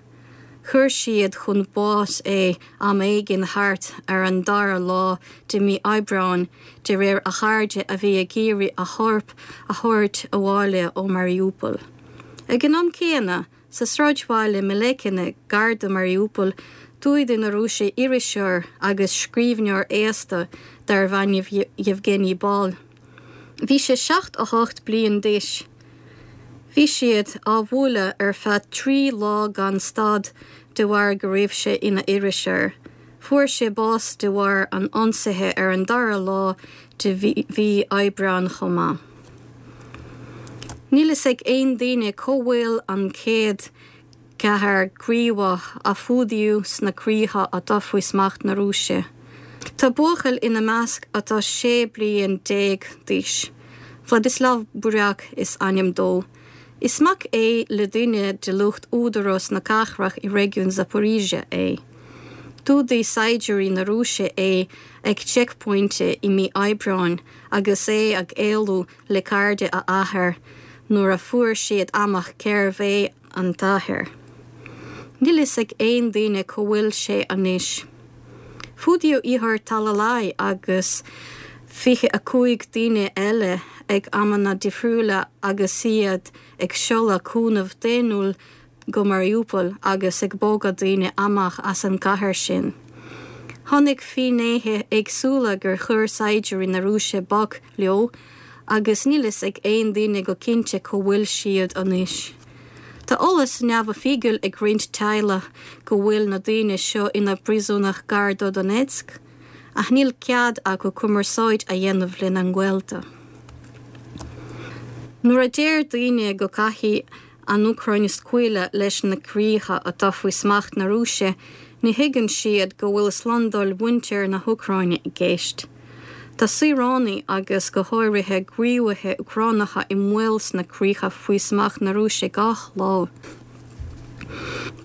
Chuir siad chun báis é am éigin thart ar an dara lá de mhí Aibreáin de réir a chairde a bhí ag iarraidh a chorp a thabhairt abhaile ó Mariupol. Ag an am céanna, Sa sráidbhaile Melekine, gar do Mariupol, d'fhuadaigh na Rúisigh iriseoir agus scríbhneoir aosta darbh ainm Yevgeny Bal. Bhí sé 78 bliain d'aois. Bhí siad á bhualadh ar feadh 3 lá gan stad de bharr go raibh sé ina iriseoir. Fuair sé bás de bharr an ionsaithe ar an dara lá de mhí Aibreáin chomh maith. Níl fhios ag aon duine cá bhfuil an 104 gníomhach a fuadaíodh sna críocha atá faoi smacht na Rúise. Tá buachaill ina measc atá 16 bliain d'aois. Vladislav Buryak is ainm dó. Is mac é le duine de lucht údarás na cathrach i réigiún Zaporizhzhia é. D'fhuadaigh saighdiúirí na Rúise é ag seicphointe i mí Aibreáin agus é ag éalú le cairde a athar nuair a fuair siad amach cérbh é an t-athair. Níl fhios ag aon duine cá bhfuil sé anois. Fuadaíodh Ihor Talalay agus 25 duine eile ag amanna difriúla agus iad ag seoladh cúnamh daonnúil go Mariupol agus ag bogadh daoine amach as an gcathair sin. Chonaic finnéithe éagsúla gur chuir saighdiúirí na Rúise bac leo agus níl fhios ag aon duine go cinnte cá bhfuil siad anois. Tá eolas neamhoifigiúil ag roinnt teaghlach go bhfuil na daoine seo ina bpríosúnaigh gar do Donetsk, ach níl cead acu cumarsáid a dhéanamh lena ngaolta. Nuair a deir daoine go gcaithfidh an Úcráin scaoileadh leis na críocha atá faoi smacht na Rúise, ní thuigeann siad go bhfuil slándáil mhuintir na hÚcráine i gceist. Tá saoránaigh agus go háirithe gníomhaithe Úcránacha i mbaol sna críocha faoi smacht na Rúise gach lá.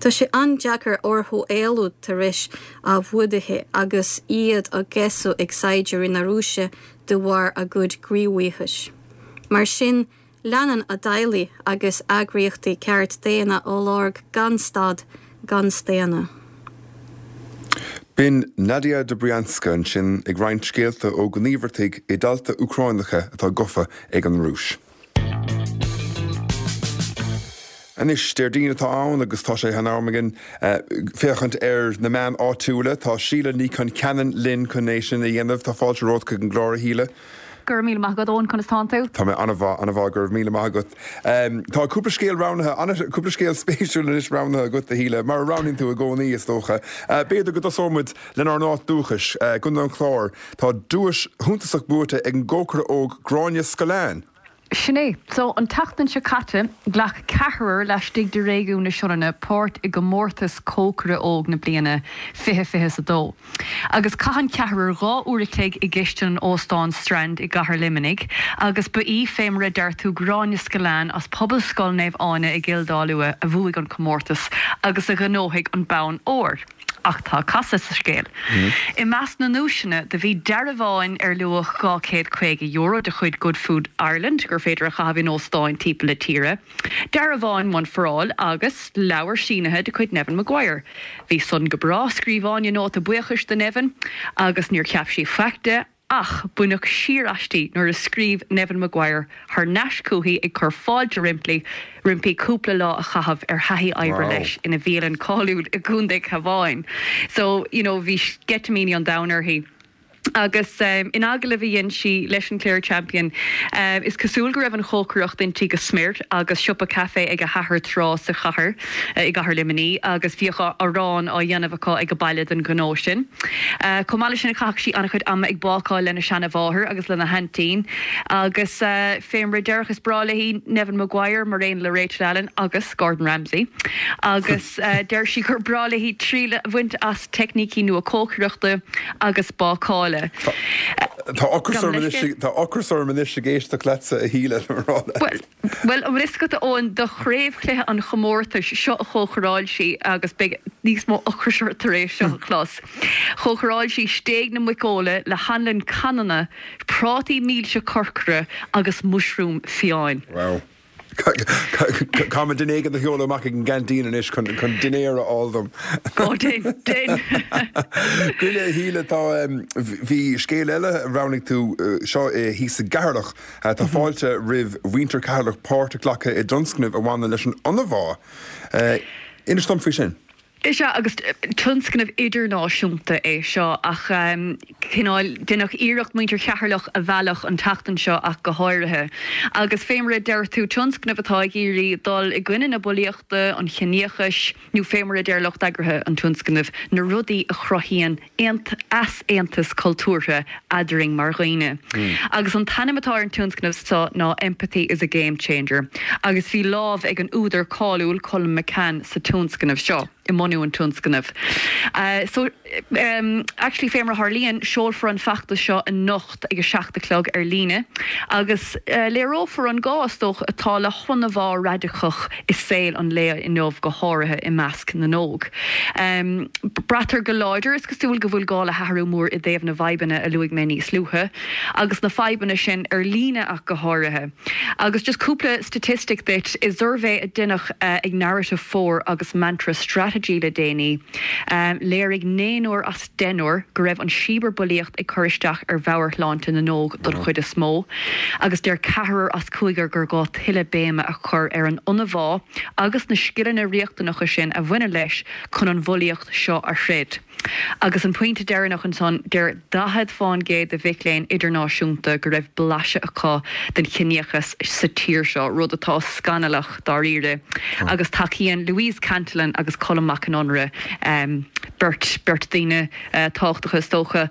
Tá sé an-deacair orthu éalú tar éis a bhfuadaithe agus iad á gcéasadh ag saighdiúirí na Rúise de bharr a gcuid gníomhaíochais. Mar sin, leanann a dteaghlaigh agus eagraíochtaí ceart daonna á lorg gan stad gan staonadh. B'in Nadia Dobrianska ansin ag roinnt scéalta ó ghníomhartaigh i dtailte Úcránacha atá gofa ag an Rúis. Anois, Déardaoin atá ann agus tá sé in am againn féachaint ar na meáin áitiúla. Tá Síle Ní Choncheanainn linn chun é sin a dhéanamh. Tá fáilte romhat chuig an gclár, a Shíle. Go raibh míle maith agat, Eoin, conas tánn tú? Tá mé an-mhaith, an-mhaith, go raibh míle maith agat. Tá cúpla scéal roghnaithe, cúpla scéal spéisiúil anois roghnaithe agat, a Shíle, mar a roghnaíonn tú i gcónaí, is dócha. B'fhéidir go dtosóidh muid lenár n-áit dúchais, gContae an Chláir. Tá duais shuntasach buaite ag an gcócaire óg Gráinne Scullane. Sin é. So, an tseachtain seo caite, ghlac ceathrar laistigh de réigiún na Sionainne páirt i gcomórtas Cócaire Óg na Bliana 2022. Agus chaith an ceathrar 2 uair a chloig i gcistin an Óstáin Strand i gCathair Luimnigh agus ba í, fé mar a deir tú, Gráinne Scullane as Pobalscoil Naomh Áine i gCill Dá Lua a bhuaigh an comórtas agus a ghnóthaigh an bonn óir. Ach tá casadh sa scéal. I measc na nduaiseanna do bhí dearbháin ar luach €250 de chuid Good Food Ireland gur féidir a chaitheamh in óstáin timpeall na tíre, dearbháin One for All agus leabhar sínithe de chuid Neven Maguire. Bhí san go breá, scríobh Áine nóta buíochais do Neven agus níor cheap sí faic de. Ach baineadh siar aisti nuair a scríobh Neven Maguire thar n-ais chúithi ag cur fáilte roimpi roimpi cúpla lá a chaitheamh ar thaithí oibre leis ina bhialann cáiliúil i gContae Cabháin. So, you know, bhí sceitimíní an domhain uirthi. Agus in agallamh a dhein sí leis an Clare Champion, is cosúil go raibh an chócaireacht inti go smior agus siopa caife ag a hathair tráth sa chathair, i gcathair Luimnigh, agus bhíodh arán á dhéanamh acu ag baile don ghnó sin. Chomh maith leis sin, chaitheadh sí an-chuid ama ag bácáil lena seana-mháthair agus lena haintín agus fé mar a déarfá is breá léi Neven Maguire mar aon le Rachel Allen agus Gordon Ramsay agus deir sí gur breá léi triail a bhaint as teicnící nua cócaireachta agus bácála. Tá ocras orm anois, tá ocras orm anois ag éisteacht leatsa a Shíle, le rá leat. Bhuel, an bhfuil fhios agat, a Eoin, do chraobhchluiche an chomórtais seo a chócaráil sí agus beidh níos mó ocrais ort tar éis seo a chlos. Chócaráil sí stéig na muiceola le hanlann canna, prátaí milse corcra agus muisriúm fiáin. Wow. Caithfidh mé duine éigin a sheoladh amach ag an gceaintín anois chun dinnéar a fháil dom. Ó, dein, dein. Goile, a Shíle, tá, bhí scéal eile a roghnaigh tú, seo thíos i gCeatharlach. Tá fáilte roimh mhuintir Cheatharlach páirt a ghlacadh i dtionscnamh a bhaineann leis an ionbhá. Inis dom faoi sin. Is ea, agus tionscnamh idirnáisiúnta é seo ach cineál deineadh iarracht muintir Cheatharlach a mhealladh an tseachtain seo ach go háirithe. Agus fé mar a deir tú, tionscnamh atá ag iarraidh dul i gcoinne na bulaíochta, an chiníochais, nó fé mar a deir lucht eagraithe an tionscnaimh, na rudaí a chruthaíonn easaontas cultúrtha eadrainn mar dhaoine. Agus an t-ainm atá ar an tionscnamh seo ná Empathy is a Game Changer agus bhí lámh ag an údar cáiliúil Colm McCann sa tionscnamh seo, i mbunú an tionscnaimh. So, actually fé mar a tharlaíonn, seolfar an feachtas seo anocht ag a 7 a chlog ar líne agus léireofar an gá, is dócha, atá le hionbhá radacach i saol an lae inniu, go háirithe i measc na n-óg. Braitear go láidir, is cosúil, go bhfuil gá le hathrú mór i dtaobh na bhfadhbanna a luaigh mé níos luaithe, agus na fadhbanna sin ar líne ach go háirithe. Agus just cúpla staitistic duit, i suirbhé a deineadh ag Narrative 4 agus Mantra Strategy le déanaí, léirigh naonúr as deichniúr go raibh an cibearbhulaíocht ag cur isteach ar mheabhairshláinte na n-óg don chuid is mó, agus deir ceathrar as cúigear gur gá tuilleadh béime a chur ar an ionbhá agus na scileanna riachtanacha sin a bhaineann leis chun an bhulaíocht seo a throid. Agus an pointe deireanach ansan, deir 40 fán gcéad de mhic léinn idirnáisiúnta go raibh blaiseadh acu den chiníochas sa tír seo, rud atá scannalach dáiríre. Agus tacaíonn Louise Cantillon agus Colm Mac Con Iomaire, beirt, beirt. daoine tábhachtacha is dócha,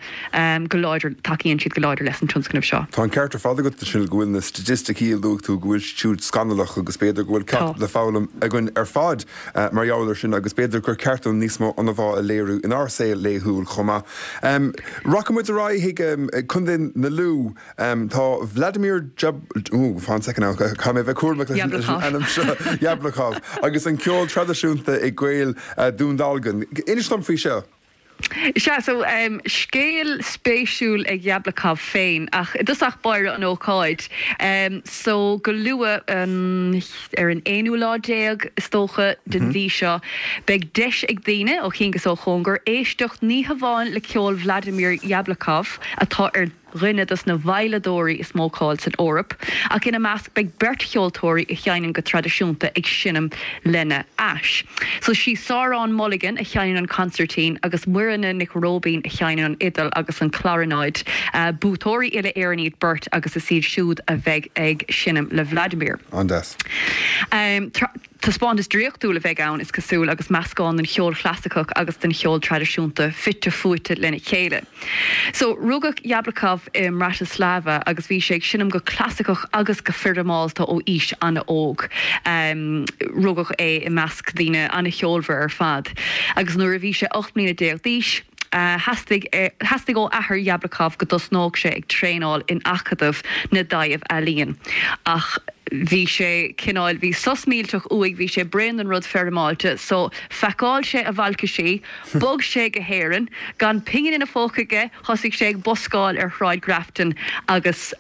go láidir, tacaíonn siad go láidir leis an tionscnamh seo. Tá an ceart ar fad agat, a Shíle, go bhfuil na staitisticí a luaigh tú, go bhfuil siad siúd scannalach agus b'fhéidir go bhfuil ceacht le foghlaim againn ar fad mar gheall air sin agus b'fhéidir gur ceart dúinn níos mó ionbhá a léiriú inár saol laethúil chomh maith. Rachaidh muid ar aghaidh chuig Contae na Lú. Tá Vladimir Jab, ooh, fan second now, caithfidh mé a bheith cúramach leis an ainm seo, Yablokov, agus an ceol traidisiúnta i gCoill Dún Dealgan. Inis dom faoi seo. Sea, so, scéal spéisiúil ag Yablokov féin, ach i dtosach báire an ócáid. So, go luath, ar an aonú lá déag, is dócha, den mhí seo, beidh deis ag daoine, ó chian 'gus ó chóngar, éisteacht ní hamháin le ceol Vladimir Yablokov, atá ar. dhuine dos na veidhleadóirí is mó cáil san Eoraip, ach ina measc beidh beirt cheoltóirí a sheinneann go traidisiúnta ag seinm lena ais. So sí Sáran Mulligan a sheinneann an consairtín agus Muireann Nic Róibín a sheinneann an fhidil agus an chlarinéid. Buaiteoirí uile-Éireann iad beirt agus is iad siúd a bheidh ag seinm le Vladimir. An-deas. Taispeántas draíochtúil a bheidh ann, is cosúil, agus meascán den cheol chlasaiceach agus den cheol traidisiúnta fite fuaite lena chéile. So, rugadh Yablokov i mBratislava agus bhí sé ag seinm go clasaiceach agus go foirmeálta ó aois an-óg. Rugadh é i measc daoine an-cheolmhar ar fad agus nuair a bhí sé 18 mbliana d'aois, theastaigh theastaigh ó athair Yablokov go dtosnódh sé ag traenáil in Acadamh na dTaibh-Ealaíon ach bhí sé cineál, bhí sos millteach uaidh, bhí sé bréan den rud foirmeáilte so phacáil sé a bhalcaisí, bhog sé go hÉirinn, gan pingin ina phóca aige, thosaigh sé ag buscáil ar Shráid Grafton agus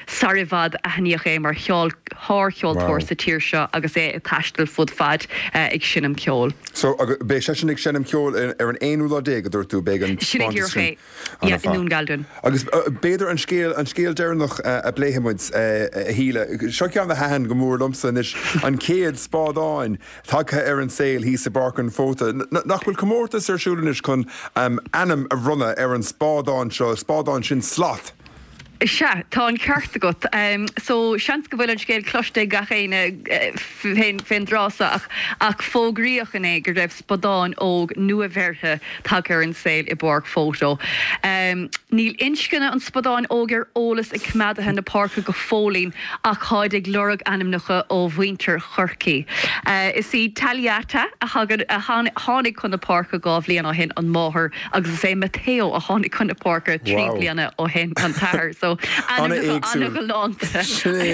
sar i bhfad aithníodh é mar shárcheoltóir sa tír seo agus é ag taisteal fud fad ag seinm ceoil. So, beidh seisean ag seinm ceoil ar an aonú lá déag, a dúirt tú, beidh an Sin é díreach é, yeah, i nDún Galdan. Agus b'fhéidir an scéal, an scéal deireanach a bpléifidh muid, a Shíle, seo ceann a thaitin go mór liomsa anois, an chéad spadán tagtha ar an saol thíos i bPáirc an Fhóta. Nach bhfuil comórtas ar siúl anois chun ainm a bhronnadh ar an spadán seo, spadán sin Sloth? Sea, tá an ceart agat. So, seans go bhfuil an scéal cloiste ag gach éinne fén dtráth seo ach ach fógraíodh inné go raibh spadán óg nua-bheirthe tagtha ar an saol i bPáirc Fótó. Níl inscne an spadáin óig ar eolas ag coimeádaithe na páirce go fóillín ach táid ag lorg ainmneacha ó mhuintir Chorcaí. Is í Tagliata a tháinig chun na páirce 2 bhliain ó shin an máthair Agus is é Matteo a tháinig chun na páirce 3 bliana ó shin, an t-athair. So, ainmneacha an-ghalánta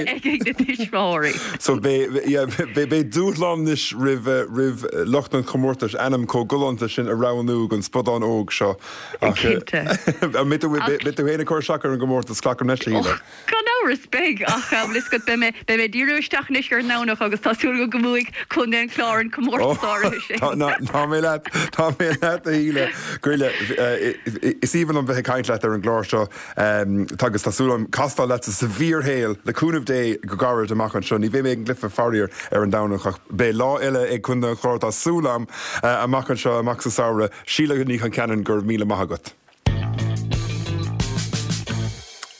ag na tuismitheoirí. So, beidh dúshlán anois roimh lucht an chomórtais ainm chomh galánta sin a roghnú don spadán óg seo. Cinnte. An mbeidh tú féin ag cur isteach ar an gcomórtas, glacaim leis, a Shíle? Gan amhras, beidh, ach bhfuil fhios agat, beidh mé, beidh mé ag díriú isteach anois ar an nDomhnach agus tá súil agam go mbuafaidh Contae an Chláir an comórtas áirithe sin. Tá mé leat, tá mé leat a Shíle. Goile, is aoibhinn liom bheith ag caint leat ar an gclár seo agus tá súil agam castáil leatsa sa bhfíorshaol, le cúnamh Dé, go gairid amach anseo. Ní bheidh mé ag an gcluiche faraor ar an Domhnach ach beidh lá eile ag Contae an Chláir, tá súil agam, amach anseo, amach sa samhradh. Síle Ní Chonceanainn, go raibh míle maith agat.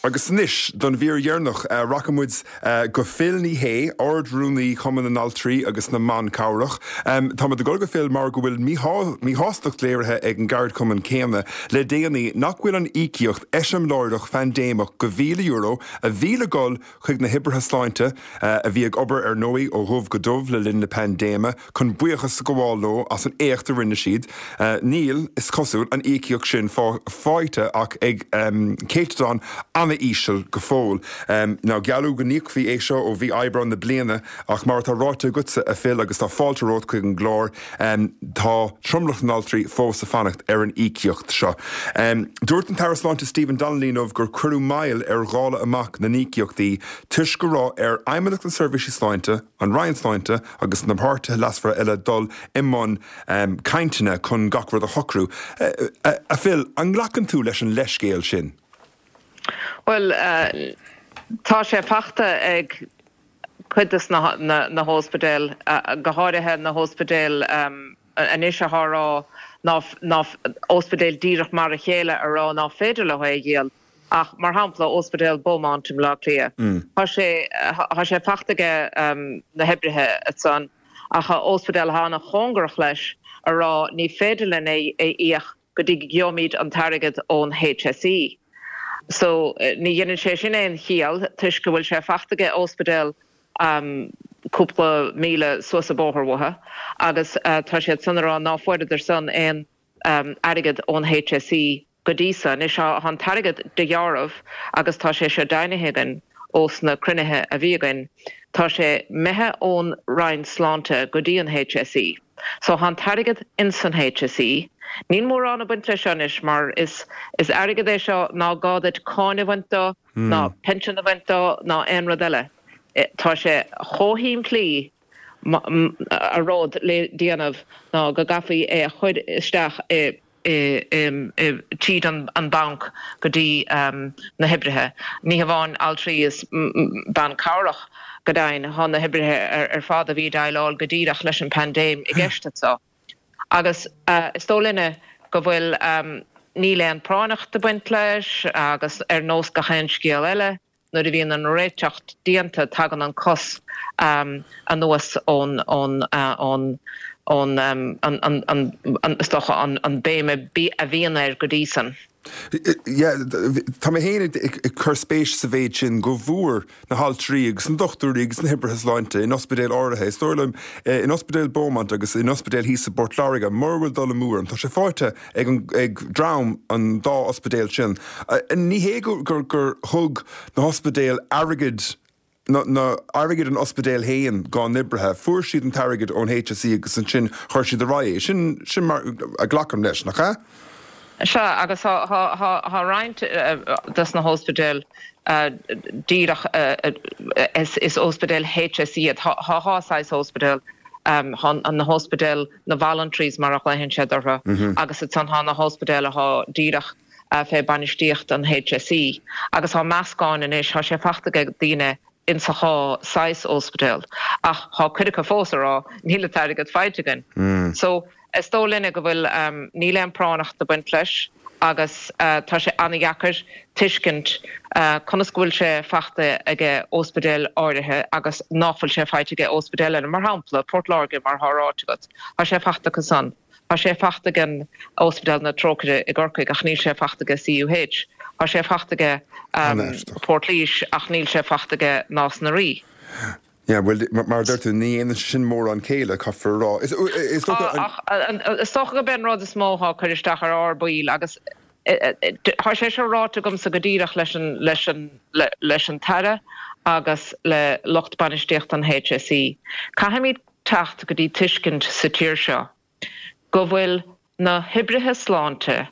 Agus anois don mhír dheireanach, rachaidh muid go Phil Ní Sheaghdha, Ard-Rúnaí Chumann na nAltraí agus na mBan Cabhrach. Táimid ag dul go Phil mar go bhfuil míshástacht léirithe ag an gceardchumann céanna le déanaí nach bhfuil an íocaíocht eiseamláireach phaindéimeach de €1,000 a bhí le dhul chuig na hoibrithe sláinte, a bhí ag obair ar ndóigh ó dhubh go dubh le linn na paindéime, chun buíochas a ghabháil leo as an éacht a rinne siad. Níl, is cosúil, an íocaíocht sin faighte ach ag céatadán an-íseal go fóill. Now gealladh go n-íocfaí é seo ó mhí Aibreáin na bliana ach mar atá ráite agatsa, a Phil, agus tá fáilte romhat chuig an gclár, tá tromlach na n-altraí fós ag fanacht ar an íocaíocht seo. Dúirt an tAire Sláinte Stephen Donnelly inniu gur cuireadh moill ar dháileadh amach na n-íocaíochtaí toisc go raibh ar Fheidhmeannacht na Seirbhíse Sláinte, an Roinn Sláinte agus na páirtithe leasmhara eile dul i mbun cainteanna chun gach rud a shocrú. A Phil, an nglacann tú leis an leithscéal sin? Bhuel, tá sé fachta ag cuid de na hóspidéil, go háirithe na hóspidéil anois atá a rá ná, óspidéil díreach mar a chéile a rá ná féidir leo é a dhíol. Ach mar shampla Óspidéal Beaumont i mBleá Cliath, tá sé, tá sé fachta aige na hoibrithe ansan ach óspidéal atá ana chóngarach leis a rá ní féidir linn é a íoc. go dtí go gheobhaimid an t-airgead ón HSE. So, ní dheineann sé sin aon chiall toisc go bhfuil sé fachta aige ospidéal cúpla míle suas an bóthar uathu agus tá siad san a rá ná fuaireadar san aon airgead ón HSE go dtí so. Anois tá an t-airgead de dheáramh agus tá sé seo deimhnithe againn ós na cruinnithe a bhí againn, tá sé imithe ón Roinn Sláinte go dtí an HSE. So tá an t-airgead ins an HSE. Níl mórán ag baint leis seo anois mar is is airgead é seo ná gá duit cáin a bhaint do, ná pension a bhaint do, ná aon rud eile. Tá sé chomh shimplí a rud le déanamh ná go gcaithfí é a chur isteach i tríd an banc go dtí na hoibrithe. Ní hamháin altraí is bean cabhrach, go deimhin, tá na hoibrithe ar fad a bhí ag déileáil go díreach leis an bpaindéim i gceist anseo. Agus is dóigh linne go bhfuil, níl aon práinneacht ag baint leis agus ar nós gach aon scéal eile, Nuair a bhíonn an réiteach déanta tagann an cos anuas ón, ón, ón, ón, an, an, is dócha an béim a bhíonn air go dtí san. Yeah, tá mé féin ag cur spéis sa mhéid sin go bhfuair na haltraí agus na dochtúirí agus na hoibrithe sláinte in ospidéil áirithe, is dóigh liom in Ospidéal Beaumont agus in ospidéal thíos i bPort Láirge, mura bhfuil dul amú orm, tá sé faighte ag an, ag dream an dá ospidéal sin. Ní hé gur, gur, gur thug na hospidéil airgead, na, na, airgead an ospidéil féin dhá n-oibrithe, fuair siad an t-airgead ón HSE agus ansin chuir siad ar aghaidh é. Sin, sin mar a glacaim leis, nach ea? Sea, agus thá, thá, thá, thá roinnt dos na hóspidéil díreach, is, is óspidéil HSE iad. Thá, thá dhá saghas óspidéal. Thá na hóspidéil, na voluntaries mar a ghlaodhann siad orthu, agus ansan thá na hóspidéil athá díreach fé bainistíocht an HSE. Agus thá meascán anois, thá sé fachta ag daoine insa dhá saghas óspidéal. Ach thá cuid acu fós a rá, níl an t-airgead faighte againn. So, is dóigh linne go bhfuil, níl aon práinneacht ag baint leis. agus tá sé an-dheacair tuiscint conas go bhfuil sé fachta aige óspidéil áirithe agus nach bhfuil sé faighte aige óspidéil eile. Mar shampla, Port Láirge, mar thá ráite agat, tá sé fachta acu san. Tá sé fachta ag an Óspidéal na Trócaire i gCorcaigh ach níl sé fachta aige CUH. Tá sé fachta aige Port Laoise ach níl sé fachta aige Nás na Rí. Yeah, bhuel, mar a deir tú, ní dhéanann sé sin mórán céille, caithfear a rá. Is dócha an. Ach is dócha gurb é an rud is mó atá ag cur isteach ar ár baill agus tá sé seo ráite agamsa go díreach leis an, leis an, leis an tAire agus le lucht bainistíochta an HSE, caithfimid teacht go dtí tuiscint sa tír seo go bhfuil na hoibrithe sláinte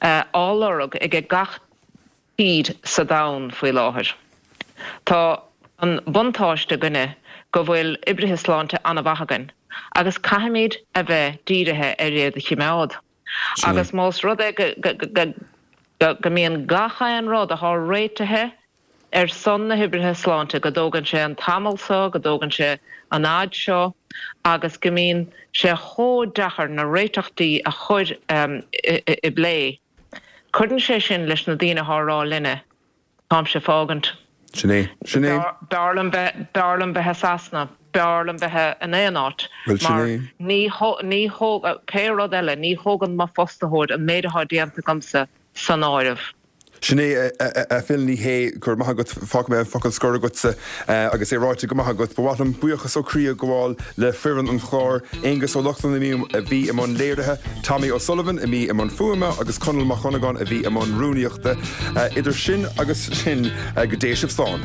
á lorg aige gach tír sa domhan faoi láthair. Tá an buntáiste againne go bhfuil oibrithe sláinte an-mhaith againn agus caithfimid a bheith dírithe ar iad a chimeád. Agus más rud é go mbíonn gach aon rud athá réitithe ar son na hoibrithe sláinte, go dtógann sé an tamall seo, go dtógann sé an fhad seo agus go mbíonn sé chomh deacair na réiteachtaí a chur i bplé. Cuireann sé sin leis na daoine athá a rá linne, táimse fágaint. Sin é. Sin é. B'fhearr liom bheith, b'fhearr liom bheith i Sasana, b'fhearr liom bheith in aon áit Bhuel, sin mar é. ní, ní thóg, pé rud eile, ní thógann mo fostaitheoir an méid athá déanta agamsa san áireamh. Sin é, a Phil, ní hé, go raibh maith agat, fágfaidh mé an focal scoir agatsa agus é ráite go maith agat. Ba mhaith liom buíochas ó chroí a ghabháil le foireann an chláir, Aengus Ó Lochlainn a bhí i mbun léirithe, Tommy O'Sullivan a bhí i mbun fuaime agus Conall Mac Dhonnagáin a bhí i mbun rúnaíochta. Idir sin agus sin, go dté sibh slán.